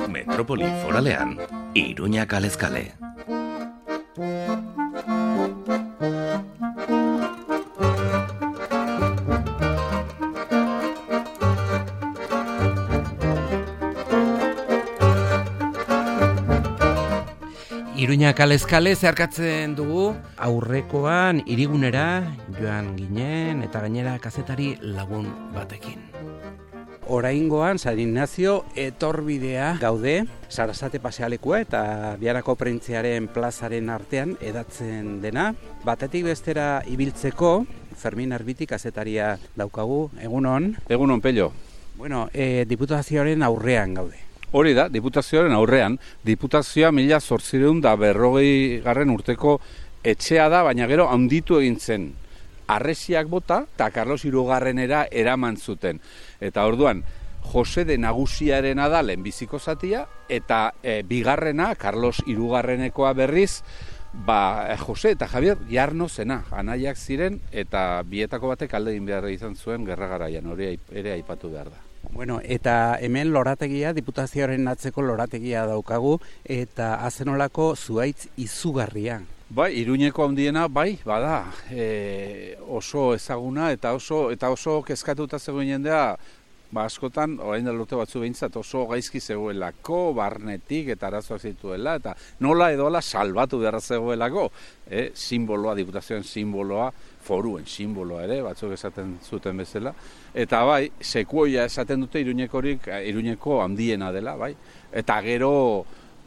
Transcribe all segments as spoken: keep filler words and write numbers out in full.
Metropoli foralean, Iruña kalez kale. Iruña kalez kale zeharkatzen dugu, aurrekoan hirigunera joan ginen eta gainera kazetari lagun batekin. Oraingoan San Ignacio etorbidea gaude, Sarasate pasealekua eta Biarako Prentziaren plazaren artean edatzen dena. Batetik bestera ibiltzeko, Fermin Arbiti kazetaria daukagu, egunon. Egunon, Pello. Bueno, e, diputazioaren aurrean gaude. Hori da, diputazioaren aurrean, diputazioa mila zortzireun da berrogei garren urteko etxea da, baina gero handitu egin zen. Arresiak bota eta Carlos hirugarrenera eraman zuten. Eta orduan, Jose de Nagusiarena da lehenbiziko zatia, eta e, bigarrena, Carlos hirugarrenekoa berriz, ba, Jose eta Javier Jarno zena, anaiak ziren, eta bietako batek alde egin behar izan zuen gerra garaian, hori ere aipatu behar da. Bueno, eta hemen lorategia, diputazioaren atzeko lorategia daukagu, eta azenolako zuhaitz izugarria. Bai, Iruñeko handiena, bai, bada, e, oso ezaguna eta oso eta oso kezkatuta zegoen jendea, ba askotan, orain dela urte batzu behintzat, oso gaizki zegoelako, barnetik eta arazoak zituela, eta nola edola salbatu beharra zegoelako, e, simboloa, diputazioen simboloa, foruen simboloa ere, batzuk esaten zuten bezala, eta bai, sekuoia esaten dute Iruñekorik, Iruñeko handiena dela, bai, eta gero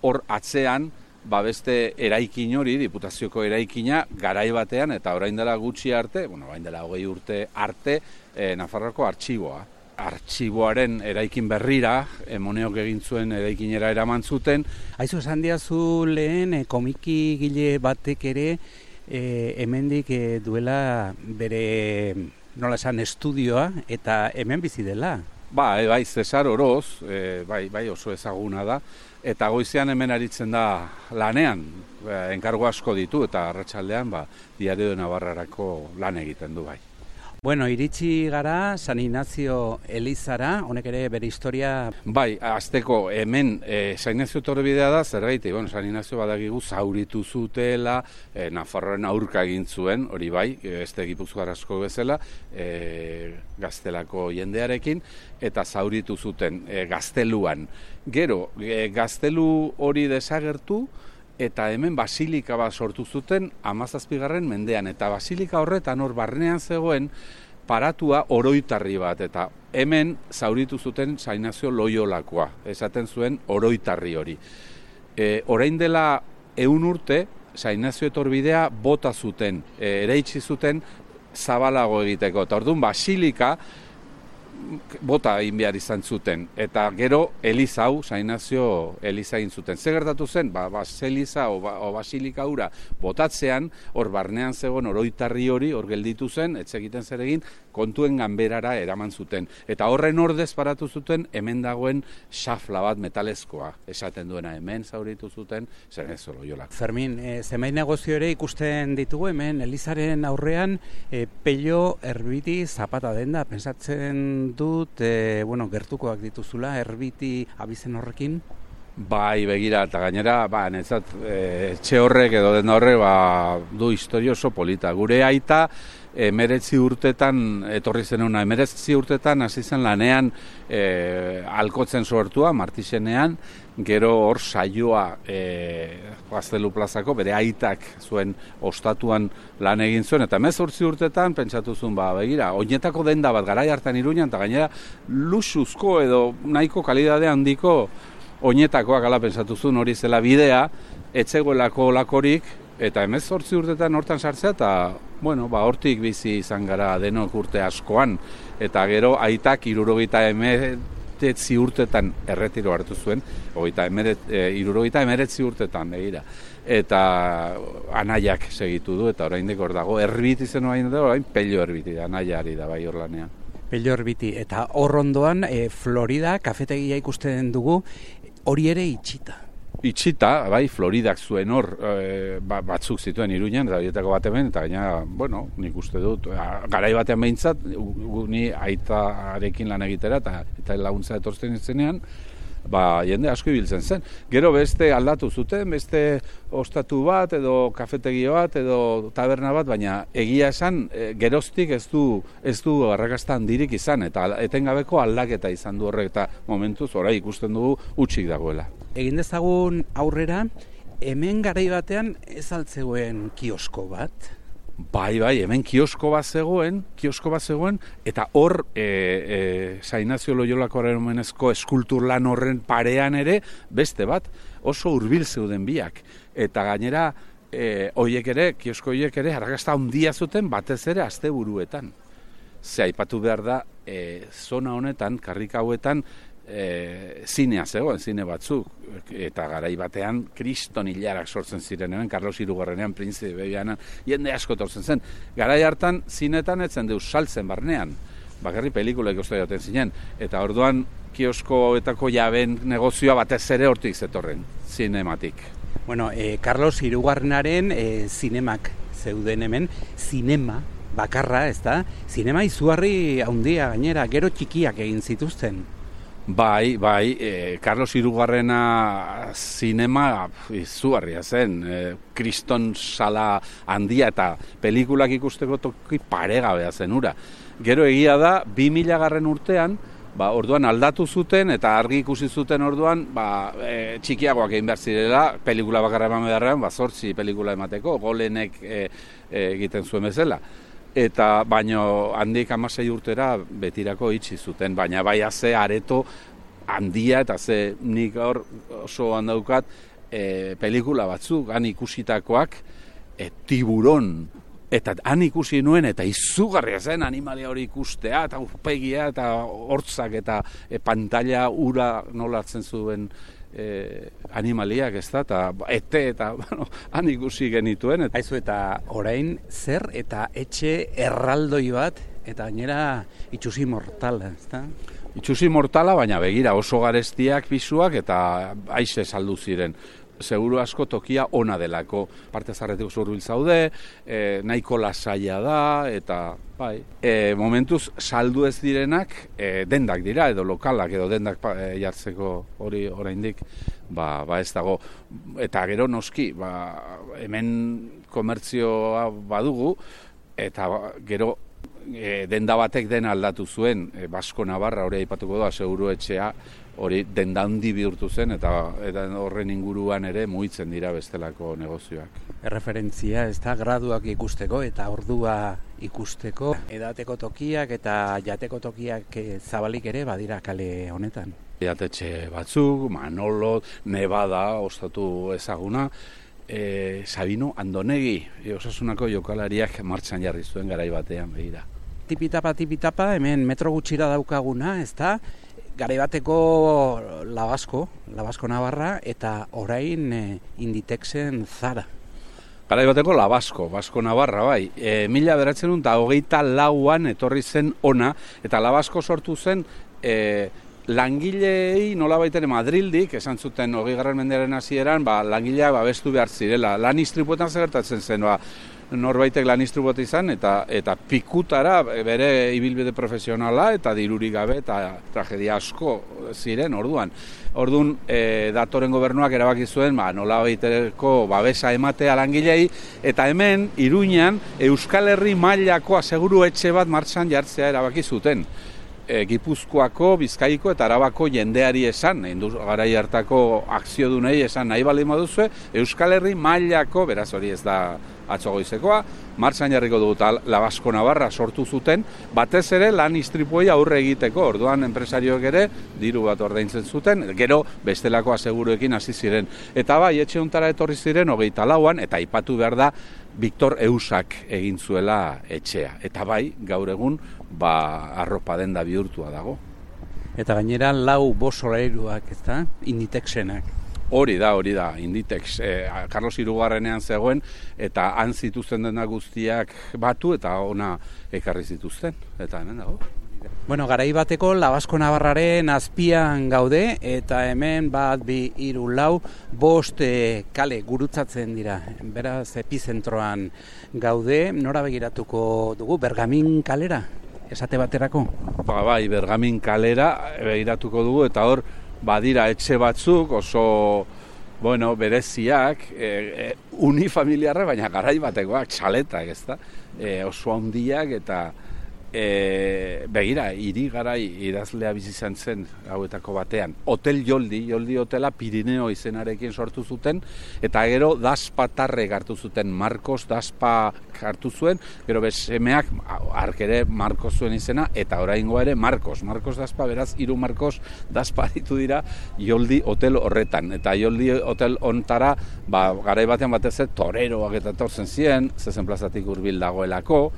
hor atzean, ba beste eraikin hori, diputazioko eraikina, garai batean, eta orain dela gutxi arte, bueno, orain dela hogei urte arte, e, Nafarroako artxiboa. Artxiboaren eraikin berrira, Moneok egin zuen eraikinera eraman zuten. Aizu esan diazu lehen, e, komiki gile batek ere, e, hemendik e, duela bere, nola esan, estudioa, eta hemen bizi dela. Bai, bai, Cesar Oroz, e, bai, bai oso ezaguna da, eta goizean hemen aritzen da lanean, e, enkargo asko ditu, eta arratsaldean ba, Diario de Navarrarako lan egiten du bai. Bueno, iritsi gara San Ignacio elizara, honek ere bere historia... Bai, azteko hemen e, San Ignacio etorbidea da, zergaiti, bueno, San Ignacio badakigu zauritu zutela, e, Nafarroaren aurka egin zuen, hori bai, beste Gipuzkoar asko bezala, e, gaztelako jendearekin, eta zauritu zuten e, gazteluan. Gero, e, gaztelu hori desagertu, eta hemen basilika bat sortu zuten hamazazpigarren mendean, eta basilika horretan hor barnean zegoen paratua oroitarri bat, eta hemen zauritu zuten San Ignacio Loiolakoa, esaten zuen oroitarri hori. E, orain dela ehun urte, San Ignacio etorbidea bota zuten, e, ereitsi zuten zabalago egiteko, eta orduan basilika bota egin behar izan zuten, eta gero Eliza hau, San Ignacio Eliza egin zuten. Zer gertatu zen, ba, baseliza o, ba, o basilika hura botatzean, hor barnean zegoen oroitarri hori, hor gelditu zen, etxe egiten zer egin, kontuen ganberara eraman zuten. Eta horren ordez paratu zuten, hemen dagoen xafla bat metalezkoa, esaten duena hemen zauritu zuten, zer ez Loiola. Fermin, e, zenbait negozio ere ikusten ditugu hemen, Elizaren aurrean, e, Pello Erbiti Zapata denda, pensatzen dut, e, bueno, gertukoak dituzula, Erbiti abizen horrekin? Bai, begira, eta gainera, ba, netzat, e, etxe horrek edo denda horrek, ba, du historio oso polita. Gure aita, emeretzi urtetan, etorri zen una, emeretzi urtetan hasi zen lanean e, alkotzen sortua, Martixenean, gero hor saioa e, Gaztelu plazako, bere aitak zuen ostatuan lan egin zuen, eta hemezortzi urtetan pentsatu zuen, ba, begira, oinetako denda bat garai hartan Iruñan, eta gainera luxuzko edo nahiko kalidade handiko oinetakoak ala pentsatu zuen, hori zela bidea, etzegoelako olakorik, eta hemezortzi urtetan hortan sartzea, eta, bueno, ba, hortik bizi izan gara denok urte askoan, eta gero aitak hirurogeita emeretzi urtetan erretiro hartu zuen, hogeita emeret, e, hirurogeita emeretzi urtetan, begira, eta anaiak segitu du, eta oraindik hor dago, Erbiti zen orain dago, orain Pello Erbiti, anaiari da bai hor lanean. Pello Erbiti, eta hor ondoan, e, Florida, kafetegia ikusten dugu, hori ere itxita. itxita, bai, Floridak zuen hor, e, batzuk zituen Iruñan, eta horietako bat hemen, eta gaina, bueno, nik uste dut, garai batean behintzat, ni aitarekin lan egitera, eta, eta laguntza etortzen izenean, ba, jende asko ibiltzen zen. Gero beste aldatu zuten, beste ostatu bat, edo kafetegi bat, edo taberna bat, baina egia esan, e, geroztik ez du, ez du arrakasta handirik izan, eta etengabeko aldaketa izan du horrek, eta momentuz, orai ikusten dugu, utxik dagoela. Egin dezagun aurrera, hemen garai batean ez altzegoen kiosko bat? Bai, bai, hemen kiosko bat zegoen, kiosko bat zegoen, eta hor, e, e, San Ignacio Loiolako omenezko eskultur lan horren parean ere, beste bat, oso hurbil zeuden biak. Eta gainera, e, oiek ere, kiosko oiek ere, arrakasta handia zuten batez ere asteburuetan. Ze aipatu behar da, e, zona honetan, karrika hauetan, E, zinea zegoen, zine batzuk, eta garai batean kriston hilarak sortzen ziren, hemen Carlos Hirugarrenean, Printze Bebianan, jende asko tortzen zen. Garai hartan zinetan etzen deus saltzen barnean, bakarri pelikula ikusten jaten zinen, eta orduan kioskoetako jaben negozioa batez ere hortik zetorren, zinematik. Bueno, e, Carlos Hirugarrenaren e, zinemak zeuden hemen, zinema bakarra, ez da? Zinema izugarri handia gainera, gero txikiak egin zituzten. Bai, bai, e, Carlos Hirugarrena zinema izugarria zen, e, kriston sala handia eta pelikulak ikusteko toki paregabea zen ura. Gero egia da, bi mila garren urtean, ba, orduan aldatu zuten eta argi ikusi zuten orduan, ba, e, txikiagoak egin behar zirela, pelikula bakarra eman beharrean, ba, zortzi pelikula emateko, golenek e, e, egiten zuen bezala. Eta baino handik hamasei urtera betirako itxi zuten, baina bai ze areto handia eta ze nik hor oso handaukat e, pelikula batzuk, han ikusitakoak, e, Tiburon, eta han ikusi nuen, eta izugarria zen animalia hori ikustea, eta urpegia, eta hortzak, eta e, pantalla ura nola hartzen zuen Eh, animaliak, ez da, eta ete, eta bueno, han ikusi genituen. Et... Aizu, eta orain zer eta etxe erraldoi bat, eta gainera itxusi mortala, ez da? Itxusi mortala, baina begira oso garestiak pisuak, eta aize saldu ziren. Seguru asko tokia ona delako, parte zarretik oso hurbil zaude, e, nahiko lasaia da, eta bai, e, momentuz saldu ez direnak e, dendak dira, edo lokalak, edo dendak e, jartzeko hori oraindik, ba, ba ez dago. Eta gero noski, ba, hemen komertzioa badugu, eta gero e, denda batek dena aldatu zuen, e, Basko Navarra hori aipatuko da, seguru etxea, hori denda handi bihurtu zen, eta, eta horren inguruan ere mugitzen dira bestelako negozioak. Erreferentzia, ez da, graduak ikusteko eta ordua ikusteko, edateko tokiak eta jateko tokiak zabalik ere badira kale honetan. Jatetxe batzuk, Manolo, Nevada, ostatu ezaguna, e, Sabino Andonegi, e, Osasunako jokalariak martxan jarri zuen garai batean begira. Tipitapa, tipitapa, hemen metro gutxira daukaguna, ez da, garai bateko Labasko, Labasko Navarra, eta orain e, Inditexen Zara. Garai bateko Labasko, Basko Navarra, bai. E, mila beratzen dut, eta hogeita lauan etorri zen ona, eta Labasko sortu zen e, langilei nola baitere Madrildik, esan zuten hogei garren mendearen hasieran, ba, langileak babestu behar zirela. Lan istripuetan zegertatzen zen, ba, norbaitek lan istriput izan, eta eta pikutara bere ibilbide profesionala, eta dirurik gabe, eta tragedia asko ziren orduan. Orduan, e, datoren gobernuak erabaki zuen, ba, nola baitereko babesa ematea langilei, eta hemen, Iruñan, Euskal Herri mailako aseguru etxe bat martxan jartzea erabaki zuten. E, Gipuzkoako, Bizkaiko eta Arabako jendeari esan, garai hartako akziodunei esan nahi baldin baduzue, Euskal Herri mailako, beraz hori ez da atzo goizekoa, martxan jarriko dugu eta Labasko Navarra sortu zuten, batez ere lan istripuei aurre egiteko, orduan enpresarioek ere diru bat ordaintzen zuten, gero bestelako aseguruekin hasi ziren. Eta bai, etxe hontara etorri ziren hogeita lauan, eta aipatu behar da Victor Eusak egin zuela etxea. Eta bai, gaur egun, ba, arropa denda bihurtua dago. Eta gainera lau bosolairuak, ez da, Inditexenak. Hori da, hori da, Inditex, e, Carlos Hirugarrenean zegoen, eta han zituzten dena guztiak batu, eta ona ekarri zituzten, eta hemen dago. Bueno, garai bateko Labasko Navarraren azpian gaude, eta hemen bat, bi, hiru, lau, bost e, kale gurutzatzen dira. Beraz, epizentroan gaude, nora begiratuko dugu, Bergamin kalera, esate baterako? Ba, bai, Bergamin kalera begiratuko dugu, eta hor, badira etxe batzuk oso, bueno, bereziak, e, e, unifamiliarra, baina garai batekoak, txaletak, ezta? E, oso handiak eta E, begira, hiri garai idazlea bizi izan zen hauetako batean. Hotel Joldi, Joldi hotela Pirineo izenarekin sortu zuten, eta gero Daspatarrek hartu zuten, Marcos Daspa hartu zuen, gero besemeak hark ere Marcos zuen izena, eta oraingoa ere Marcos. Marcos Daspa, beraz, hiru Marcos Daspa aritu dira Joldi hotel horretan. Eta Joldi hotel ontara, ba, garai batean batez ez, toreroak eta etortzen ziren, zezen plazatik hurbil dagoelako.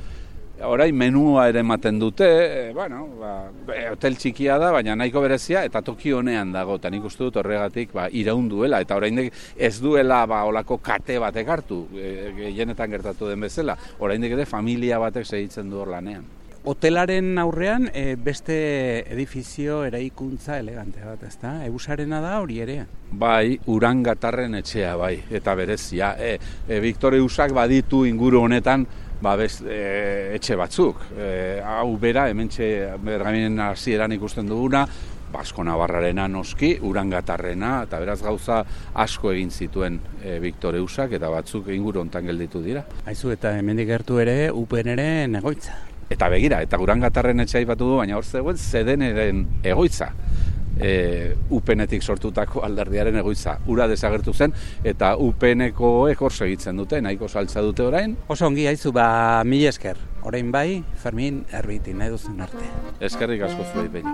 Orain menua ere ematen dute, e, bueno, ba, hotel txikia da, baina nahiko berezia, eta toki honean dago, eta nik uste dut horregatik ba, iraun duela, eta oraindik ez duela ba, olako kate batek hartu, e, gehienetan gertatu den bezala, oraindik ere familia batek segitzen du hor lanean. Hotelaren aurrean e, beste edifizio eraikuntza elegante bat, ezta? Eusarena da hori ere? Bai, Urangatarren etxea, bai, eta berezia. E, e, Victor Eusak baditu inguru honetan, ba, best, e, etxe batzuk. E, hau bera, hementxe Bergaminen hasieran ikusten duguna, Basko Navarrarena noski, Urangatarrena, eta beraz gauza asko egin zituen e, Victor Eusak, eta batzuk inguru hontan gelditu dira. Aizu, eta hemendik gertu ere, Upeneren egoitza. Eta begira, eta Urangatarren etxea aipatu du, baina hor zegoen Zedeneren egoitza. E, Upenetik sortutako alderdiaren egoitza. Ura desagertu zen, eta Upenekoek hor segitzen dute, nahiko saltza dute orain. Oso ongi, haizu, ba, mila esker. Orain bai, Fermin Erbiti, nahi duzun arte. Eskerrik asko zuei behin.